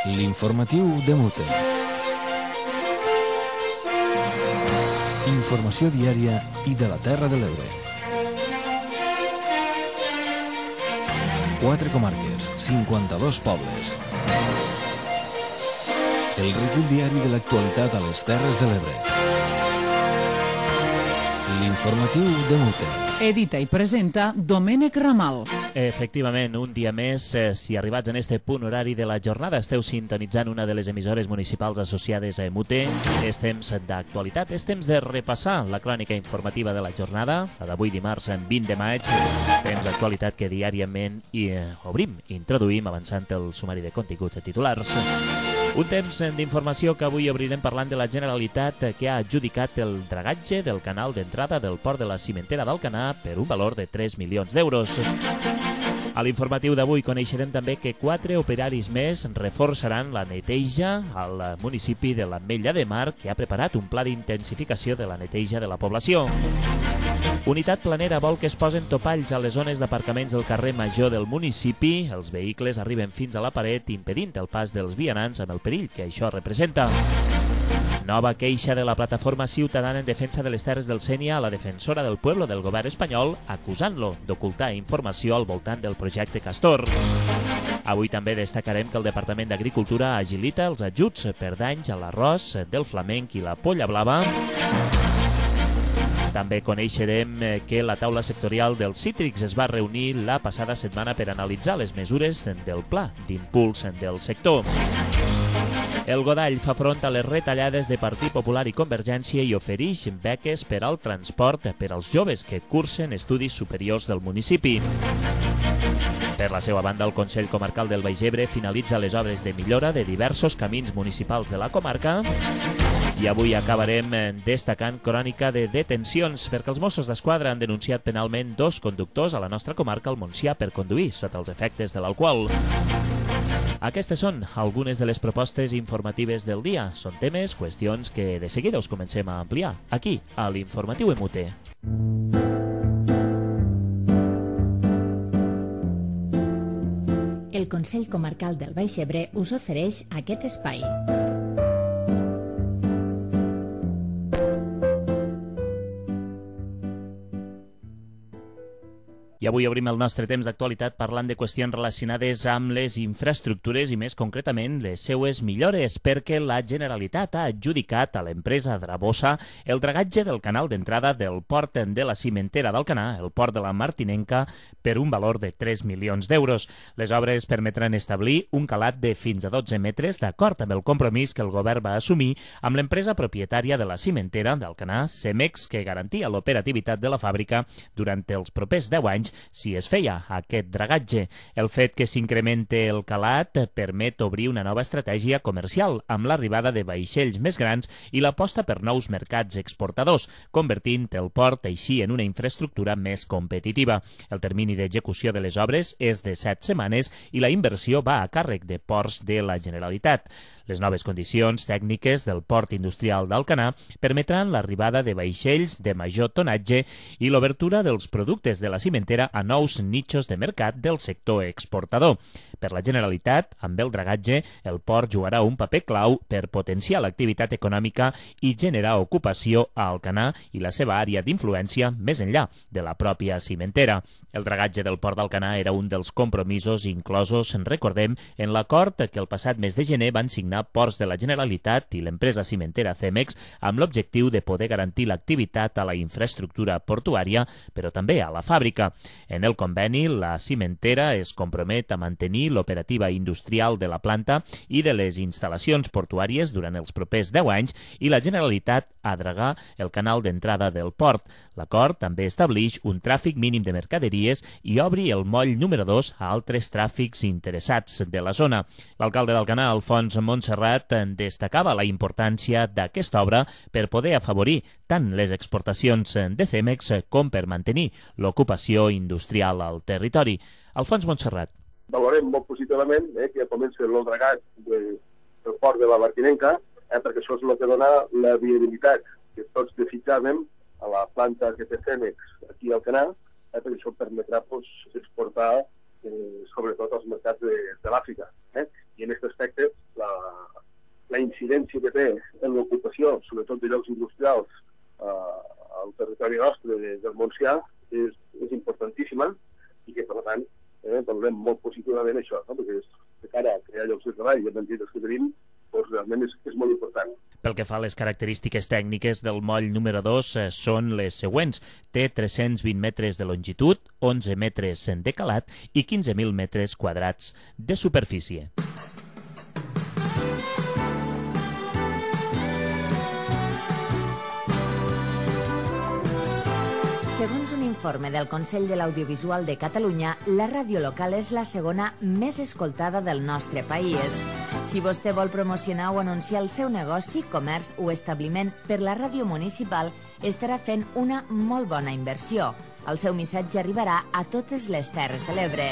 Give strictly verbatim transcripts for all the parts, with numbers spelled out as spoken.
L'informatiu de Mute. Informació diària i de la Terra de l'Ebre. Quatre comarques, cinquanta-dos pobles. El recull diari de l'actualitat a les Terres de l'Ebre. L'informatiu de Mute. Edita i presenta Domènec Ramal. Efectivament, un dia més, eh, si arribats en este punt horari de la jornada esteu sintonitzant una de les emissores municipals associades a Mute, és temps d'actualitat, és temps de repassar la crònica informativa de la jornada, la d'avui dimarts, en vint de maig, temps d'actualitat que diàriament hi eh, obrim, introduïm avançant el sumari de continguts titulars. Un temps d'informació que avui obrirem parlant de la Generalitat que ha adjudicat el dragatge del canal d'entrada del port de la cimentera d'Alcanar per un valor de tres milions d'euros. A l'informatiu d'avui coneixerem també que quatre operaris més reforçaran la neteja al municipi de l'Ametlla de Mar, que ha preparat un pla d'intensificació de la neteja de la població. Unitat Planera vol que es posen topalls a les zones d'aparcaments del carrer Major del municipi. Els vehicles arriben fins a la paret, impedint el pas dels vianants amb el perill que això representa. Nova queixa de la plataforma ciutadana en defensa de les terres del Sénia a la defensora del pueblo del govern espanyol, acusant-lo d'ocultar informació al voltant del projecte Castor. Avui també destacarem que el Departament d'Agricultura agilita els ajuts per danys a l'arròs del flamenc i la polla blava. També coneixerem que la taula sectorial dels cítrics es va reunir la passada setmana per analitzar les mesures del pla d'impuls del sector. El Godall fa front a les retallades de Partit Popular i Convergència i ofereix beques per al transport per als joves que cursen estudis superiors del municipi. Per la seva banda, el Consell Comarcal del Baix Ebre finalitza les obres de millora de diversos camins municipals de la comarca. I avui acabarem destacant crònica de detencions, perquè els Mossos d'Esquadra han denunciat penalment dos conductors a la nostra comarca, al Montsià, per conduir sota els efectes de l'alcohol. Aquestes són algunes de les propostes informatives del dia. Són temes, qüestions que de seguida us comencem a ampliar, aquí, a l'Informatiu Mute. El Consell Comarcal del Baix Ebre us ofereix aquest espai. I avui obrim el nostre temps d'actualitat parlant de qüestions relacionades amb les infraestructures i més concretament les seues millores, perquè la Generalitat ha adjudicat a l'empresa Drabosa el dragatge del canal d'entrada del port de la cimentera d'Alcanar, el port de la Martinenca, per un valor de tres milions d'euros. Les obres permetran establir un calat de fins a dotze metres, d'acord amb el compromís que el govern va assumir amb l'empresa propietària de la cimentera d'Alcanar, Cemex, que garantia l'operativitat de la fàbrica durant els propers deu anys si es feia aquest dragatge. El fet que s'incremente el calat permet obrir una nova estratègia comercial amb l'arribada de vaixells més grans i l'aposta per nous mercats exportadors, convertint el port així en una infraestructura més competitiva. El termini d'execució de les obres és de set setmanes i la inversió va a càrrec de Ports de la Generalitat. Les noves condicions tècniques del port industrial d'Alcanar permetran l'arribada de vaixells de major tonatge i l'obertura dels productes de la cimentera a nous nichos de mercat del sector exportador. Per la Generalitat, amb el dragatge, el port jugarà un paper clau per potenciar l'activitat econòmica i generar ocupació a Alcanar i la seva àrea d'influència més enllà de la pròpia cimentera. El dragatge del port d'Alcanar era un dels compromisos inclosos, en recordem, en l'acord que el passat mes de gener van signar Ports de la Generalitat i l'empresa cimentera Cemex amb l'objectiu de poder garantir l'activitat a la infraestructura portuària, però també a la fàbrica. En el conveni, la cimentera es compromet a mantenir l'operativa industrial de la planta i de les instal·lacions portuàries durant els propers deu anys i la Generalitat a dragar el canal d'entrada del port. L'acord també estableix un tràfic mínim de mercaderies i obri el moll número dos a altres tràfics interessats de la zona. L'alcalde d'Alcanar, Alfons Montserrat, destacava la importància d'aquesta obra per poder afavorir tant les exportacions de Cemex com per mantenir l'ocupació industrial al territori. Alfons Montserrat. Valorem molt positivament eh, que comenci el dragat de, del port de la Martinenca, eh, perquè això és el que dona la viabilitat que tots desitjàvem a la planta que té Cemex aquí al Alcanar, eh, perquè això permetrà pues, exportar eh, sobretot als mercats de, de l'Àfrica. Eh? I en aquest aspecte sobretot de llocs industrials eh, al territori nostre de, del Montsià, és, és importantíssima i que, per tant, eh, valorem molt positivament això, no? Perquè és, de cara a crear llocs de treball i a mantenir els que tenim, doncs realment és, és molt important. Pel que fa a les característiques tècniques del moll número dos eh, són les següents. Té tres-cents vint metres de longitud, onze metres de calat i quinze mil metres quadrats de superfície. Segons un informe del Consell de l'Audiovisual de Catalunya, la ràdio local és la segona més escoltada del nostre país. Si vostè vol promocionar o anunciar el seu negoci, comerç o establiment per la ràdio municipal, estarà fent una molt bona inversió. El seu missatge arribarà a totes les Terres de l'Ebre.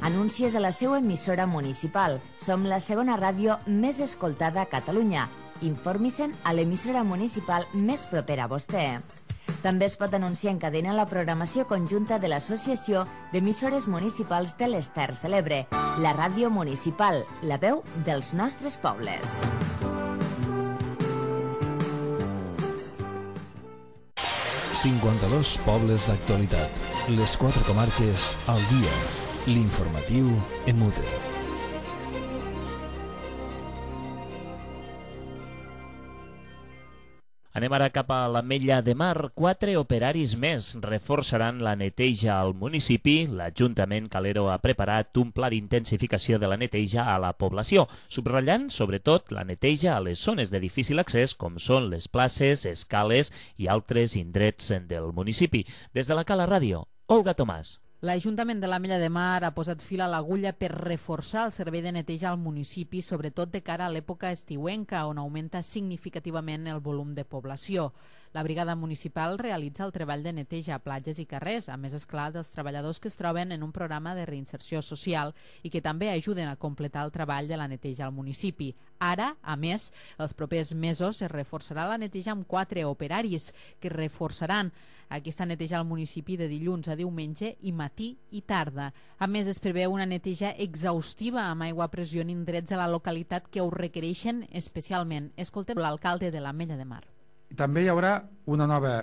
Anuncies a la seva emissora municipal. Som la segona ràdio més escoltada a Catalunya. Informi-se'n a l'emissora municipal més propera a vostè. També es pot anunciar en cadena la programació conjunta de l'Associació d'Emissores Municipals de les Terres de l'Ebre, la ràdio municipal, la veu dels nostres pobles. cinquanta-dos pobles d'actualitat. Les quatre comarques al dia. L'informatiu en mute. Anem ara cap a l'Ametlla de Mar. Quatre operaris més reforçaran la neteja al municipi. L'Ajuntament Calero ha preparat un pla d'intensificació de la neteja a la població, subratllant, sobretot, la neteja a les zones de difícil accés, com són les places, escales i altres indrets del municipi. Des de la Cala Ràdio, Olga Tomàs. L'Ajuntament de l'Ametlla de Mar ha posat fil a l'agulla per reforçar el servei de neteja al municipi, sobretot de cara a l'època estiuenca, on augmenta significativament el volum de població. La brigada municipal realitza el treball de neteja a platges i carrers, a més, esclar, dels treballadors que es troben en un programa de reinserció social i que també ajuden a completar el treball de la neteja al municipi. Ara, a més, els propers mesos es reforçarà la neteja amb quatre operaris que reforçaran aquesta neteja al municipi de dilluns a diumenge i matí i tarda. A més, es preveu una neteja exhaustiva amb aigua a pressió en indrets a la localitat que ho requereixen especialment. Escoltem l'alcalde de l'Ametlla de Mar. També hi haurà una nova,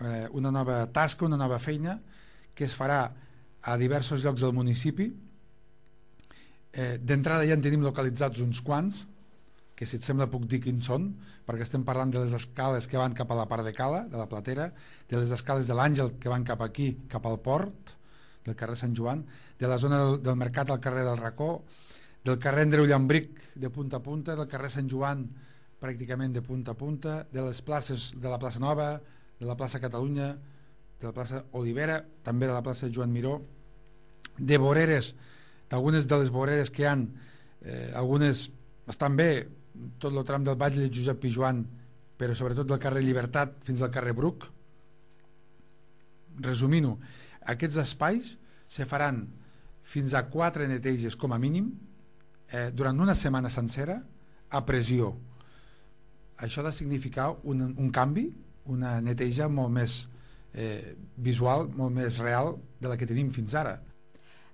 eh, una nova tasca, una nova feina que es farà a diversos llocs del municipi. Eh, D'entrada ja en tenim localitzats uns quants, que si et sembla puc dir quins són, perquè estem parlant de les escales que van cap a la part de Cala, de la Platera, de les escales de l'Àngel que van cap aquí, cap al port, del carrer Sant Joan, de la zona del, del Mercat al carrer del Racó, del carrer Andreu Llambric de punta a punta, del carrer Sant Joan pràcticament de punta a punta, de les places de la plaça Nova, de la plaça Catalunya, de la plaça Olivera, també de la plaça Joan Miró, de voreres, d'algunes de les voreres que hi ha, eh, algunes estan bé, tot el tram del Batlle de Josep Pijuan, però sobretot del carrer Llibertat fins al carrer Bruc. Resumint-ho, aquests espais se faran fins a quatre neteges com a mínim eh, durant una setmana sencera a pressió. Això ha de significar un, un canvi, una neteja molt més eh, visual, molt més real de la que tenim fins ara.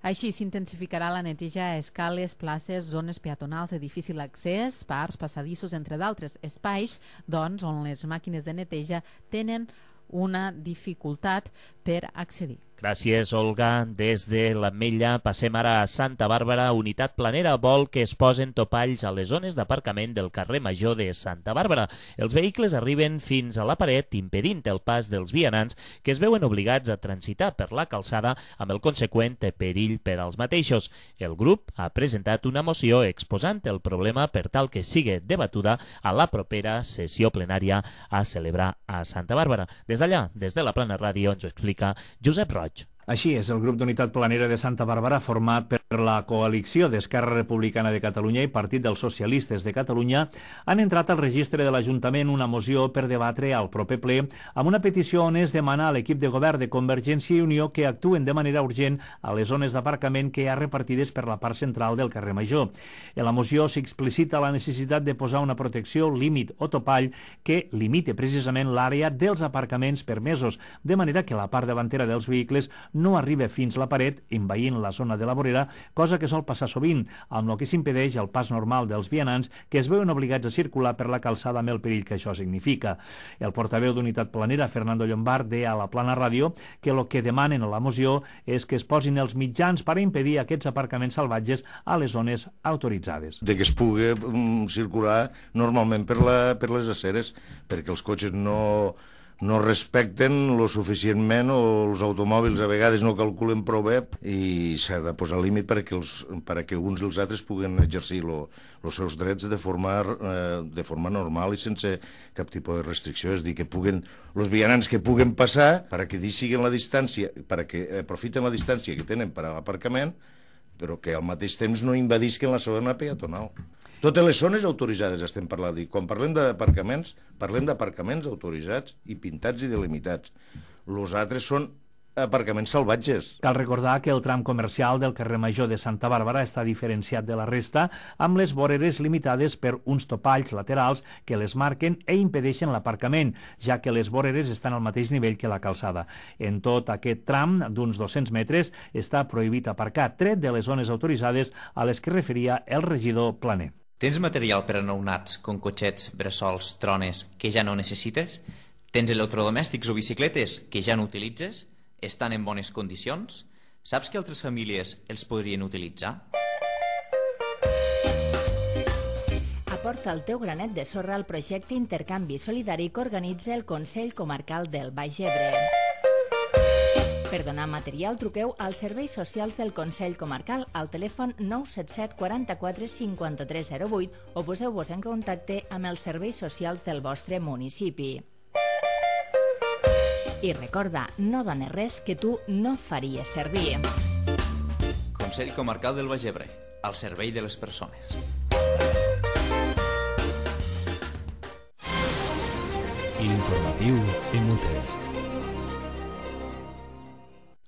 Així s'intensificarà la neteja a escales, places, zones peatonals de difícil accés, parcs, passadissos, entre d'altres espais, doncs, on les màquines de neteja tenen una dificultat per accedir. Gràcies, Olga. Des de l'Ametlla passem ara a Santa Bàrbara. Unitat Planera vol que es posen topalls a les zones d'aparcament del carrer Major de Santa Bàrbara. Els vehicles arriben fins a la paret, impedint el pas dels vianants que es veuen obligats a transitar per la calçada amb el conseqüent perill per als mateixos. El grup ha presentat una moció exposant el problema per tal que sigui debatuda a la propera sessió plenària a celebrar a Santa Bàrbara. Des d'allà, des de la Plana Ràdio, ens ho explica Josep Roig. Així és, el grup d'Unitat Planera de Santa Bàrbara, format per la coalició d'Esquerra Republicana de Catalunya i Partit dels Socialistes de Catalunya, han entrat al registre de l'Ajuntament una moció per debatre al proper ple amb una petició on es demana a l'equip de govern de Convergència i Unió que actuen de manera urgent a les zones d'aparcament que hi ha repartides per la part central del carrer Major. En la moció s'explicita la necessitat de posar una protecció, límit o topall que limite precisament l'àrea dels aparcaments permesos, de manera que la part davantera dels vehicles no arriba fins la paret, envaint la zona de la vorera, cosa que sol passar sovint, amb el que s'impedeix el pas normal dels vianants que es veuen obligats a circular per la calçada amb el perill que això significa. El portaveu d'Unitat Planera, Fernando Llombard, deia a la Plana Ràdio que el que demanen a la moció és que es posin els mitjans per impedir aquests aparcaments salvatges a les zones autoritzades. De que es pugui um, circular normalment per, la, per les aceres, perquè els cotxes no, no respecten lo suficientment o els automòbils a vegades no calculen prou bé i s'ha de posar límit perquè, els, perquè uns i els altres puguen exercir els seus drets de forma, eh, de forma normal i sense cap tipus de restricció. És dir, que puguen, els vianants que puguen passar perquè deixin la distància, perquè aprofiten la distància que tenen per a l'aparcament, però que al mateix temps no invadisquen la zona peatonal. Totes les zones autoritzades estem parlant. I quan parlem d'aparcaments, parlem d'aparcaments autoritzats i pintats i delimitats. Els altres són aparcaments salvatges. Cal recordar que el tram comercial del carrer Major de Santa Bàrbara està diferenciat de la resta amb les voreres limitades per uns topalls laterals que les marquen i impedeixen l'aparcament, ja que les voreres estan al mateix nivell que la calçada. En tot aquest tram d'uns dos-cents metres està prohibit aparcar, tret de les zones autoritzades a les que referia el regidor Planer. Tens material per a nounats, com cotxets, bressols, trones, que ja no necessites? Tens electrodomèstics o bicicletes que ja no utilitzes? Estan en bones condicions? Saps que altres famílies els podrien utilitzar? Aporta el teu granet de sorra al projecte Intercanvi Solidari que organitza el Consell Comarcal del Baix Ebre. Per donar material, truqueu als serveis socials del Consell Comarcal al telèfon nou set set quaranta-quatre cinquanta-tres zero vuit o poseu-vos en contacte amb els serveis socials del vostre municipi. I recorda, no dones res que tu no faries servir. Consell Comarcal del Baix Ebre, al servei de les persones. L'informatiu M T.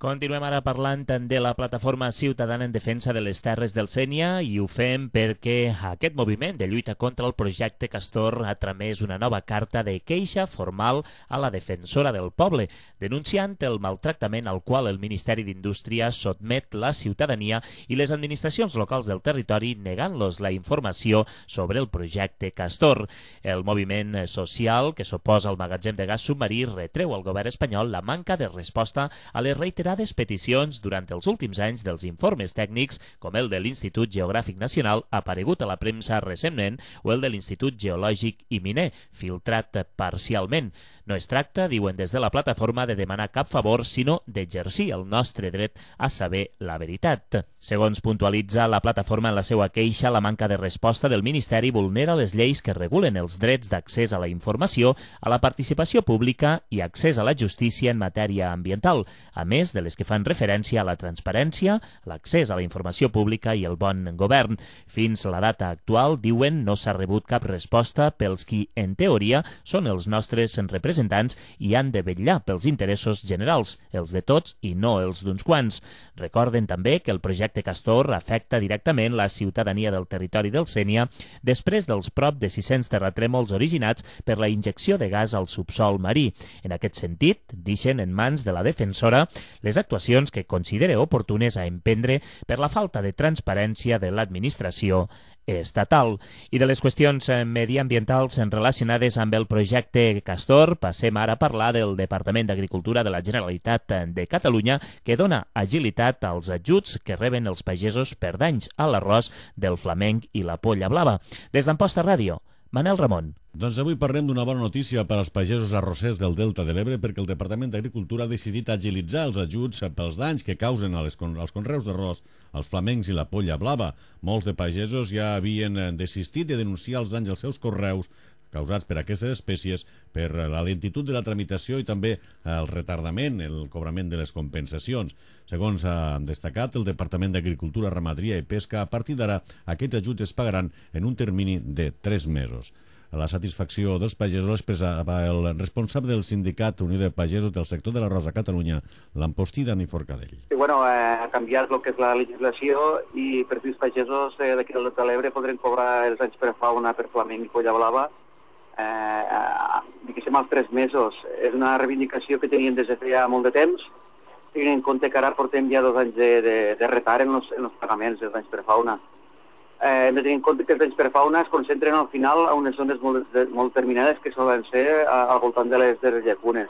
Continuem ara parlant de la plataforma ciutadana en defensa de les terres del Sénia i ho fem perquè aquest moviment de lluita contra el projecte Castor ha tramès una nova carta de queixa formal a la defensora del poble, denunciant el maltractament al qual el Ministeri d'Indústria sotmet la ciutadania i les administracions locals del territori negant-los la informació sobre el projecte Castor. El moviment social que s'oposa al magatzem de gas submarí retreu al govern espanyol la manca de resposta a les reiterades peticions durant els últims anys dels informes tècnics com el de l'Institut Geogràfic Nacional aparegut a la premsa recentment o el de l'Institut Geològic i Miner, filtrat parcialment. No es tracta, diuen des de la plataforma, de demanar cap favor, sinó d'exercir el nostre dret a saber la veritat. Segons puntualitza la plataforma en la seva queixa, la manca de resposta del Ministeri vulnera les lleis que regulen els drets d'accés a la informació, a la participació pública i accés a la justícia en matèria ambiental, a més de les que fan referència a la transparència, l'accés a la informació pública i el bon govern. Fins a la data actual, diuen, no s'ha rebut cap resposta pels qui, en teoria, són els nostres representants i han de vetllar pels interessos generals, els de tots i no els d'uns quants. Recorden també que el projecte Castor afecta directament la ciutadania del territori del Sénia després dels prop de sis-cents terratrèmols originats per la injecció de gas al subsol marí. En aquest sentit, deixen en mans de la defensora les actuacions que considere oportunes a emprendre per la falta de transparència de l'administració estatal. I de les qüestions mediambientals relacionades amb el projecte Castor, passem ara a parlar del Departament d'Agricultura de la Generalitat de Catalunya, que dona agilitat als ajuts que reben els pagesos per danys a l'arròs del flamenc i la polla blava. Des d'Amposta Ràdio, Manel Ramon. Doncs avui parlem d'una bona notícia per als pagesos arrossers del Delta de l'Ebre perquè el Departament d'Agricultura ha decidit agilitzar els ajuts pels danys que causen als conreus d'arròs, als flamencs i la polla blava. Molts de pagesos ja havien desistit de denunciar els danys als seus conreus causats per aquestes espècies per la lentitud de la tramitació i també el retardament, el cobrament de les compensacions. Segons ha destacat el Departament d'Agricultura, Ramaderia i Pesca, a partir d'ara aquests ajuts es pagaran en un termini de tres mesos. La satisfacció dels pagesos expressava el responsable del sindicat Unió de Pagesos del sector de l'arròs a Catalunya, l'Ampostí Dani Forcadell. I, bueno, eh, ha canviat el que és la legislació i per fi els pagesos eh, d'aquí del Delta de l'Ebre podrem cobrar els anys per fauna, per flamenc i polla blava, eh, eh, diguéssim, als tres mesos. És una reivindicació que tenien des de feia molt de temps tenint en compte que ara portem ja dos anys de, de, de retard en els, en els pagaments dels danys per fauna. Eh, hem de tenir en compte que els danys per fauna es concentren al final a unes zones molt, de, molt determinades que solen ser a, al voltant de les, de les llacunes.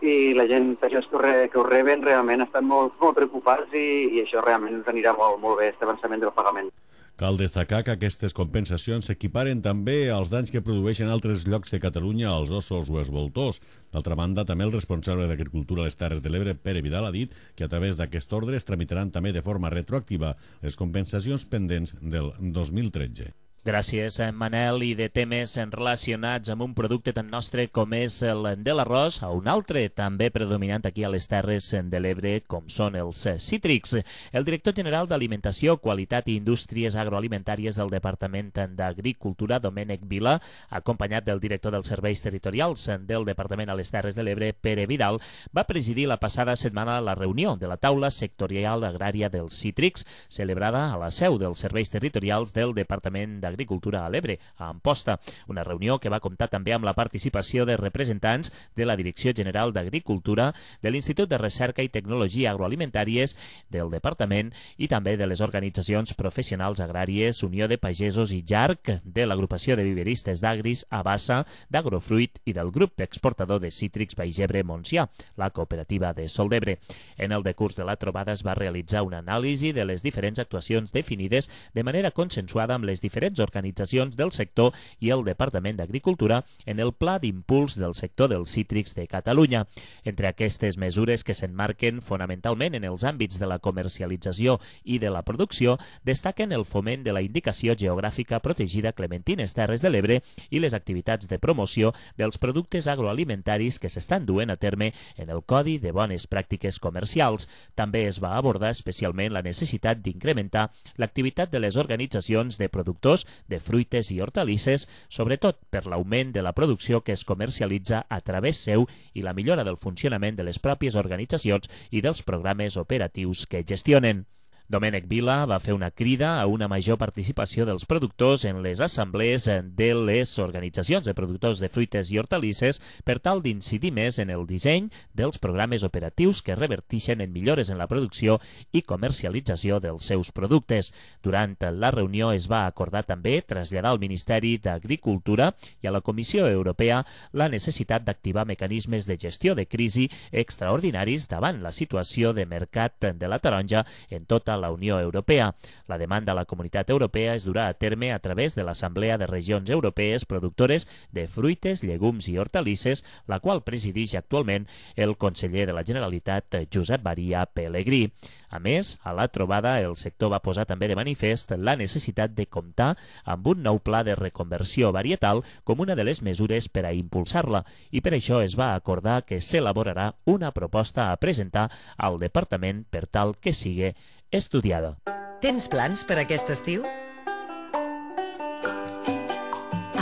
I la gent que ho, re, que ho reben realment estan molt, molt preocupats i, i això realment ens anirà molt, molt bé, aquest avançament del pagament. Cal destacar que aquestes compensacions s'equiparen també als danys que produeixen altres llocs de Catalunya als ossos o els voltors. D'altra banda, també el responsable d'Agricultura a les Terres de l'Ebre, Pere Vidal, ha dit que a través d'aquest ordre es tramitaran també de forma retroactiva les compensacions pendents del dos mil tretze. Gràcies, Manel. I de temes relacionats amb un producte tan nostre com és el de l'arròs, a un altre també predominant aquí a les Terres de l'Ebre, com són els cítrics. El director general d'Alimentació, Qualitat i Indústries Agroalimentàries del Departament d'Agricultura, Domènec Vila, acompanyat del director dels Serveis Territorials del Departament a les Terres de l'Ebre, Pere Vidal, va presidir la passada setmana la reunió de la taula sectorial agrària dels cítrics, celebrada a la seu dels Serveis Territorials del Departament d'Agricultura Agricultura a l'Ebre, a Amposta. Una reunió que va comptar també amb la participació de representants de la Direcció General d'Agricultura, de l'Institut de Recerca i Tecnologia Agroalimentàries del Departament i també de les organitzacions professionals agràries Unió de Pagesos i Jarc, de l'Agrupació de Viveristes d'Agris, Abassa, d'Agrofruit i del grup exportador de cítrics Baix-Ebre Montsià, la cooperativa de Sol d'Ebre. En el decurs de la trobada es va realitzar una anàlisi de les diferents actuacions definides de manera consensuada amb les diferents organitzacions del sector i el Departament d'Agricultura en el Pla d'Impuls del sector dels cítrics de Catalunya. Entre aquestes mesures que s'emmarquen fonamentalment en els àmbits de la comercialització i de la producció, destaquen el foment de la indicació geogràfica protegida Clementines Terres de l'Ebre i les activitats de promoció dels productes agroalimentaris que s'estan duent a terme en el Codi de Bones Pràctiques Comercials. També es va abordar especialment la necessitat d'incrementar l'activitat de les organitzacions de productors de fruites i hortalisses, sobretot per l'augment de la producció que es comercialitza a través seu i la millora del funcionament de les pròpies organitzacions i dels programes operatius que gestionen. Domènec Vila va fer una crida a una major participació dels productors en les assemblees de les organitzacions de productors de fruites i hortalisses per tal d'incidir més en el disseny dels programes operatius que revertixen en millores en la producció i comercialització dels seus productes. Durant la reunió es va acordar també traslladar al Ministeri d'Agricultura i a la Comissió Europea la necessitat d'activar mecanismes de gestió de crisi extraordinaris davant la situació de mercat de la taronja en tota la Unió Europea. La demanda a la Comunitat Europea es durà a terme a través de l'Assemblea de Regions Europees Productores de Fruites, Llegums i Hortalisses, la qual presideix actualment el conseller de la Generalitat, Josep Maria Pelegrí. A més, a la trobada el sector va posar també de manifest la necessitat de comptar amb un nou pla de reconversió varietal com una de les mesures per a impulsar-la i per això es va acordar que s'elaborarà una proposta a presentar al Departament per tal que sigui estudiada. Tens plans per aquest estiu?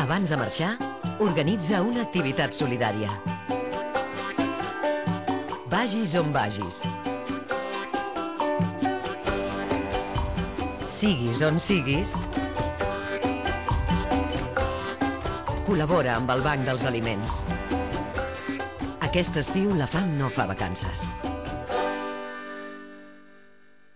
Abans de marxar, organitza una activitat solidària. Vagis on vagis. Siguis on siguis, col·labora amb el Banc dels Aliments. Aquest estiu la fam no fa vacances.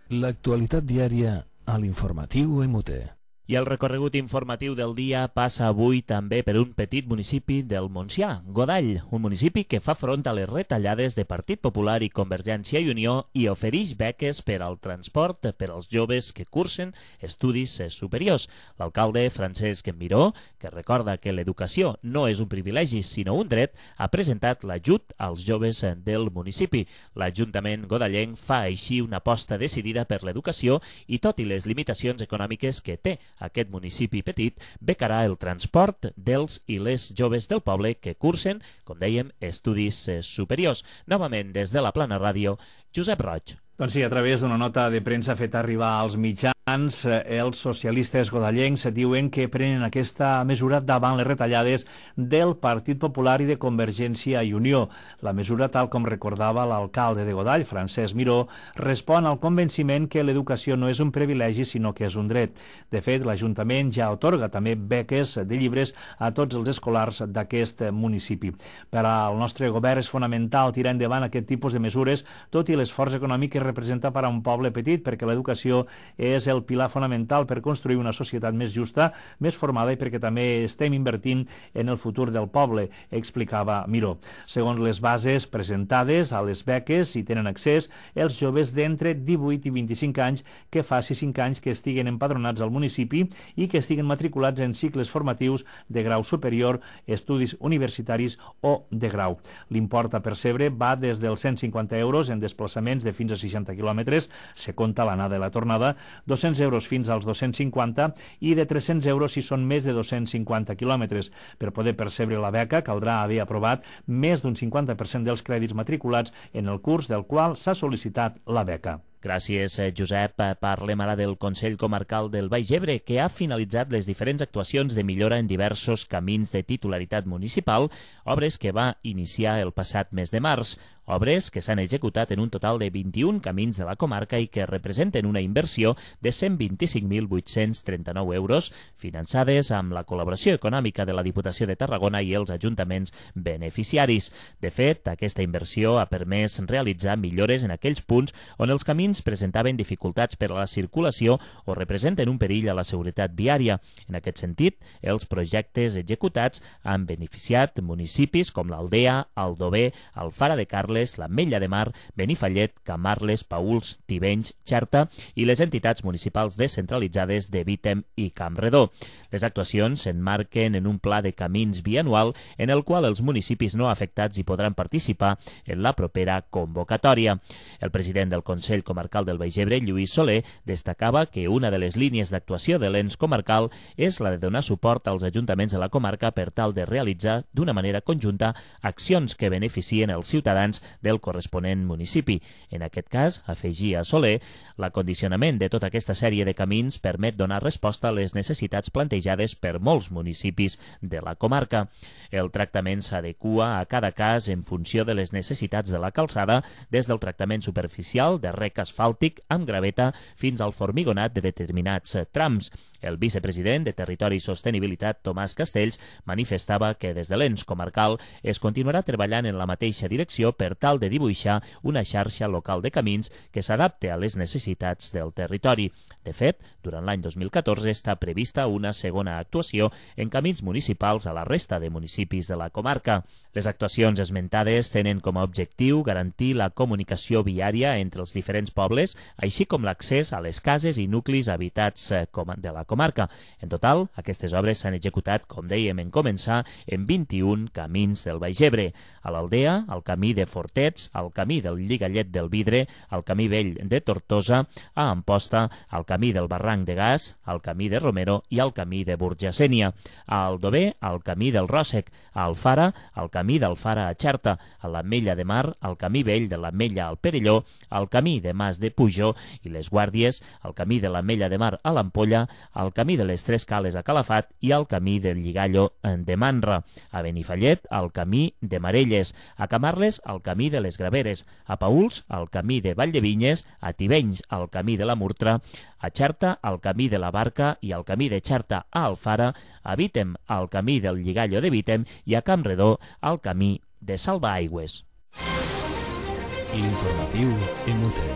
L'actualitat diària a l'informatiu M U T. I el recorregut informatiu del dia passa avui també per un petit municipi del Montsià, Godall, un municipi que fa front a les retallades de Partit Popular i Convergència i Unió i ofereix beques per al transport per als joves que cursen estudis superiors. L'alcalde Francesc Miró, que recorda que l'educació no és un privilegi sinó un dret, ha presentat l'ajut als joves del municipi. L'Ajuntament godallenc fa així una aposta decidida per l'educació i tot i les limitacions econòmiques que té aquest municipi petit, becarà el transport dels i les joves del poble que cursen, com dèiem, estudis superiors. Novament, des de la Plana Ràdio, Josep Roig. Doncs sí, a través d'una nota de premsa feta arribar als mitjans els socialistes godallencs diuen que prenen aquesta mesura davant les retallades del Partit Popular i de Convergència i Unió. La mesura, tal com recordava l'alcalde de Godall, Francesc Miró, respon al convenciment que l'educació no és un privilegi, sinó que és un dret. De fet, l'Ajuntament ja atorga també beques de llibres a tots els escolars d'aquest municipi. Per al nostre govern és fonamental tirar endavant aquest tipus de mesures, tot i l'esforç econòmic que representa per a un poble petit, perquè l'educació és el pilar fonamental per construir una societat més justa, més formada, i perquè també estem invertint en el futur del poble, explicava Miró. Segons les bases presentades, a les beques hi tenen accés els joves d'entre divuit i vint-i-cinc anys que fa cinc anys que estiguen empadronats al municipi i que estiguen matriculats en cicles formatius de grau superior, estudis universitaris o de grau. L'import a percebre va des dels cent cinquanta euros en desplaçaments de fins a seixanta quilòmetres, se compta l'anada i la tornada, dos-cents euros fins als dos-cents cinquanta i de tres-cents euros si són més de dos-cents cinquanta quilòmetres. Per poder percebre la beca caldrà haver aprovat més d'un cinquanta per cent dels crèdits matriculats en el curs del qual s'ha sol·licitat la beca. Gràcies, Josep. Parlem ara del Consell Comarcal del Baix Ebre, que ha finalitzat les diferents actuacions de millora en diversos camins de titularitat municipal, obres que va iniciar el passat mes de març. Obres que s'han executat en un total de vint-i-un camins de la comarca i que representen una inversió de cent vint-i-cinc mil vuit-cents trenta-nou euros, finançades amb la col·laboració econòmica de la Diputació de Tarragona i els ajuntaments beneficiaris. De fet, aquesta inversió ha permès realitzar millores en aquells punts on els camins presentaven dificultats per a la circulació o representen un perill a la seguretat viària. En aquest sentit, els projectes executats han beneficiat municipis com l'Aldea, Aldover, Alfara de Carles, l'Ametlla de Mar, Benifallet, Camarles, Paüls, Tivenys, Xerta i les entitats municipals descentralitzades de Vítem i Campredó. Les actuacions s'emmarquen en un pla de camins bianual en el qual els municipis no afectats hi podran participar en la propera convocatòria. El president del Consell Comarcal del Baix Ebre, Lluís Soler, destacava que una de les línies d'actuació de l'ens comarcal és la de donar suport als ajuntaments de la comarca per tal de realitzar d'una manera conjunta accions que beneficien els ciutadans del corresponent municipi. En aquest cas, afegia Soler, l'acondicionament de tota aquesta sèrie de camins permet donar resposta a les necessitats plantejades per molts municipis de la comarca. El tractament s'adequa a cada cas en funció de les necessitats de la calçada, des del tractament superficial de rec asfàltic amb graveta fins al formigonat de determinats trams. El vicepresident de Territori i Sostenibilitat, Tomàs Castells, manifestava que des de l'ens comarcal es continuarà treballant en la mateixa direcció per tal de dibuixar una xarxa local de camins que s'adapte a les necessitats del territori. De fet, durant l'any dos mil catorze està prevista una segona actuació en camins municipals a la resta de municipis de la comarca. Les actuacions esmentades tenen com a objectiu garantir la comunicació viària entre els diferents pobles, així com l'accés a les cases i nuclis habitats de la comarca. En total, aquestes obres s'han executat, com dèiem en començar, en vint-i-un camins del Baix Ebre. A l'Aldea, al camí de Fortets, al camí del Lligallet del Vidre, al camí vell de Tortosa, a Amposta, al camí del Barranc de Gas, al camí de Romero i al camí de Burgasènia. A Aldover, al camí del Ròssec. A Alfara, al camí d'Alfara a Xerta. A l'Ametlla de Mar, al camí vell de l'Ametlla al Perelló, al camí de Mas de Pujó i les Guàrdies, al camí de l'Ametlla de Mar a l'Ampolla, al camí de les Tres Cales a Calafat i al camí del Lligallo de Manra. A Benifallet, al camí de Marelles. A Camarles, al camí de les Graveres. A Paüls, al camí de Valldevinyes. A Tivenys, al camí de la Murtra. A Xerta, al camí de la Barca i al camí de Xerta a Alfara. A Vítem, al camí del Lligallo de Vítem i a Campredó, al camí de Salvaaigües. L'informatiu en Muter.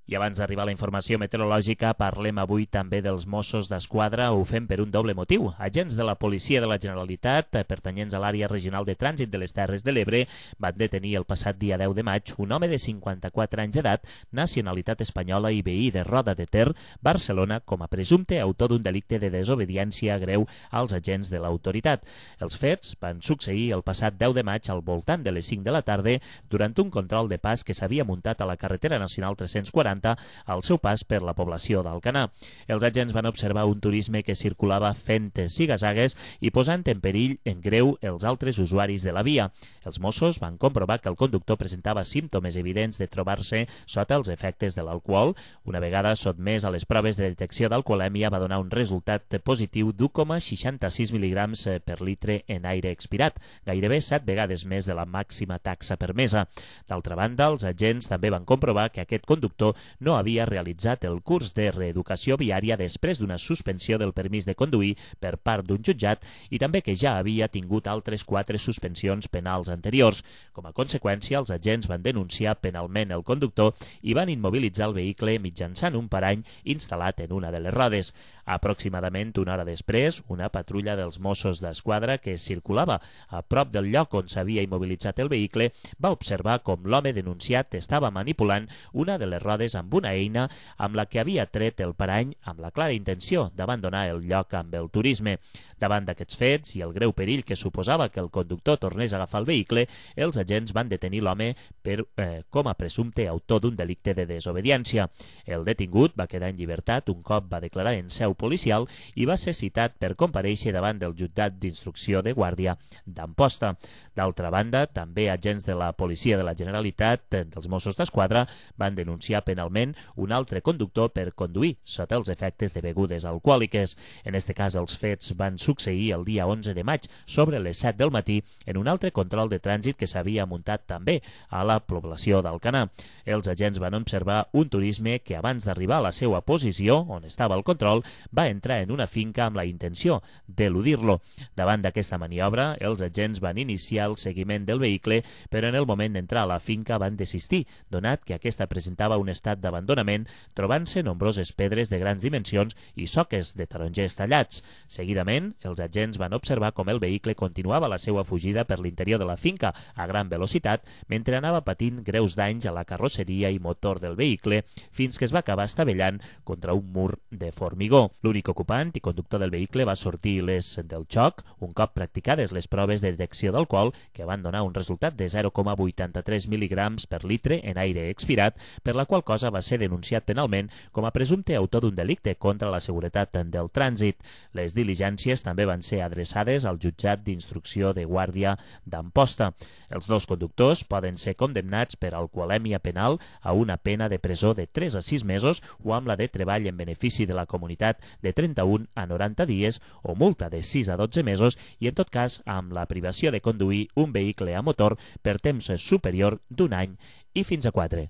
I abans d'arribar a la informació meteorològica, parlem avui també dels Mossos d'Esquadra. Ho fem per un doble motiu. Agents de la Policia de la Generalitat, pertanyents a l'àrea regional de trànsit de les Terres de l'Ebre, van detenir el passat dia deu de maig un home de cinquanta-quatre anys d'edat, nacionalitat espanyola i veí de Roda de Ter, Barcelona, com a presumpte autor d'un delicte de desobediència greu als agents de l'autoritat. Els fets van succeir el passat deu de maig al voltant de les cinc de la tarda durant un control de pas que s'havia muntat a la carretera nacional tres-cents quaranta quaranta al seu pas per la població d'Alcanar. Els agents van observar un turisme que circulava fent zigazagues i posant en perill en greu els altres usuaris de la via. Els Mossos van comprovar que el conductor presentava símptomes evidents de trobar-se sota els efectes de l'alcohol. Una vegada sotmès a les proves de detecció d'alcoholèmia va donar un resultat positiu d'u coma seixanta-sis mil·ligrams per litre en aire expirat, gairebé set vegades més de la màxima taxa permesa. D'altra banda, els agents també van comprovar que aquest conductor no havia realitzat el curs de reeducació viària després d'una suspensió del permís de conduir per part d'un jutjat i també que ja havia tingut altres quatre suspensions penals anteriors. Com a conseqüència, els agents van denunciar penalment el conductor i van immobilitzar el vehicle mitjançant un parany instal·lat en una de les rodes. Aproximadament una hora després, una patrulla dels Mossos d'Esquadra que circulava a prop del lloc on s'havia immobilitzat el vehicle va observar com l'home denunciat estava manipulant una de les rodes amb una eina amb la que havia tret el parany amb la clara intenció d'abandonar el lloc amb el turisme. Davant d'aquests fets i el greu perill que suposava que el conductor tornés a agafar el vehicle, els agents van detenir l'home per, eh, com a presumpte autor d'un delicte de desobediència. El detingut va quedar en llibertat un cop va declarar en seu policial i va ser citat per comparèixer davant del jutjat d'instrucció de Guàrdia d'Amposta. D'altra banda, també agents de la Policia de la Generalitat dels Mossos d'Esquadra van denunciar penalment un altre conductor per conduir sota els efectes de begudes alcohòliques. En este cas, els fets van succeir el dia onze de maig sobre les set del matí en un altre control de trànsit que s'havia muntat també a la població d'Alcanar. Els agents van observar un turisme que abans d'arribar a la seva posició, on estava el control, va entrar en una finca amb la intenció d'eludir-lo. Davant d'aquesta maniobra, els agents van iniciar el seguiment del vehicle, però en el moment d'entrar a la finca van desistir, donat que aquesta presentava un estat d'abandonament, trobant-se nombroses pedres de grans dimensions i soques de tarongers tallats. Seguidament, els agents van observar com el vehicle continuava la seva fugida per l'interior de la finca a gran velocitat, mentre anava patint greus danys a la carrosseria i motor del vehicle, fins que es va acabar estavellant contra un mur de formigó. L'únic ocupant i conductor del vehicle va sortir il·lès del xoc, un cop practicades les proves de detecció d'alcohol, que van donar un resultat de zero coma vuitanta-tres mil·ligrams per litre en aire expirat, per la qual cosa va ser denunciat penalment com a presumpte autor d'un delicte contra la seguretat del trànsit. Les diligències també van ser adreçades al jutjat d'instrucció de Guàrdia d'Amposta. Els dos conductors poden ser condemnats per alcoholèmia penal a una pena de presó de tres a sis mesos o amb la de treball en benefici de la comunitat de trenta-un a noranta dies o multa de sis a dotze mesos i, en tot cas, amb la privació de conduir un vehicle a motor per temps superior d'un any i fins a quatre.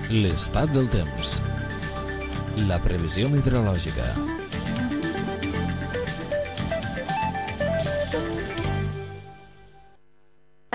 L'estat del temps. La previsió meteorològica.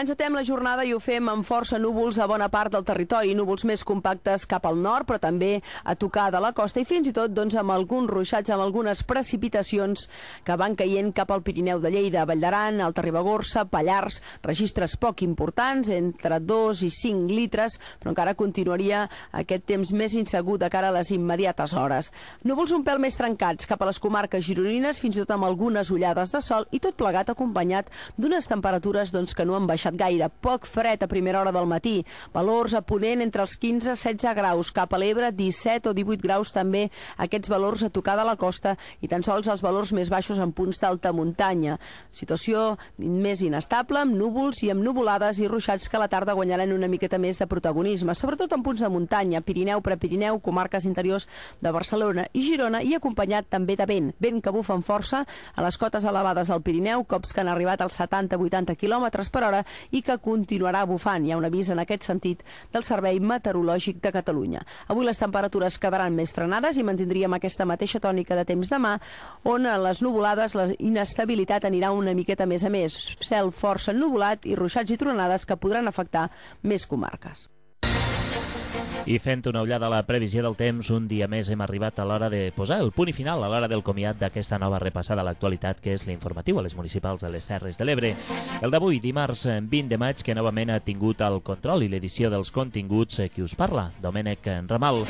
Encetem la jornada i ho fem amb força núvols a bona part del territori, núvols més compactes cap al nord, però també a tocar de la costa i fins i tot doncs, amb alguns ruixats, amb algunes precipitacions que van caient cap al Pirineu de Lleida, Vall d'Aran, Alta Ribagorça, Pallars, registres poc importants, entre dos i cinc litres, però encara continuaria aquest temps més insegur de cara a les immediates hores. Núvols un pèl més trencats cap a les comarques gironines, fins i tot amb algunes ullades de sol i tot plegat acompanyat d'unes temperatures doncs, que no han baixat gaire, poc fred a primera hora del matí, valors a ponent entre els quinze i setze graus, cap a l'Ebre disset o divuit graus també, aquests valors a tocar de la costa i tan sols els valors més baixos en punts d'alta muntanya. Situació més inestable, amb núvols i amb nuvolades i ruixats que a la tarda guanyaran una miqueta més de protagonisme, sobretot en punts de muntanya, Pirineu, Prepirineu, comarques interiors de Barcelona i Girona i acompanyat també de vent, vent que bufa amb força a les cotes elevades del Pirineu, cops que han arribat als setanta a vuitanta quilòmetres per hora i que continuarà bufant. Hi ha un avís en aquest sentit del Servei Meteorològic de Catalunya. Avui les temperatures quedaran més frenades i mantindríem aquesta mateixa tònica de temps demà, on a les nuvolades la inestabilitat anirà una miqueta més a més. Cel força ennuvolat i ruixats i tronades que podran afectar més comarques. I fent una ullada a la previsió del temps, un dia més hem arribat a l'hora de posar el punt i final a l'hora del comiat d'aquesta nova repassada a l'actualitat, que és l'informatiu a les municipals de les Terres de l'Ebre. El d'avui, dimarts vint de maig, que novament ha tingut el control i l'edició dels continguts qui us parla, Domènec Ramal.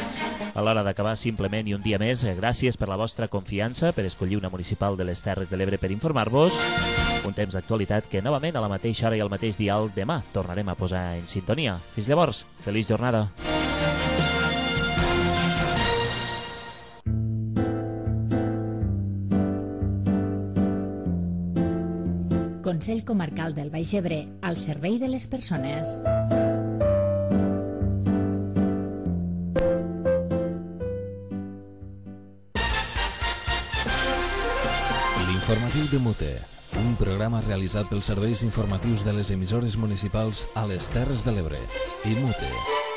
A l'hora d'acabar, simplement i un dia més, gràcies per la vostra confiança, per escollir una municipal de les Terres de l'Ebre per informar-vos. Un temps d'actualitat que novament a la mateixa hora i al mateix dial demà tornarem a posar en sintonia. Fins llavors, feliç jornada. Consell Comarcal del Baix Ebre, al servei de les persones. L'informatiu de Mute, un programa realitzat pels serveis informatius de les emissores municipals a les Terres de l'Ebre i Mute.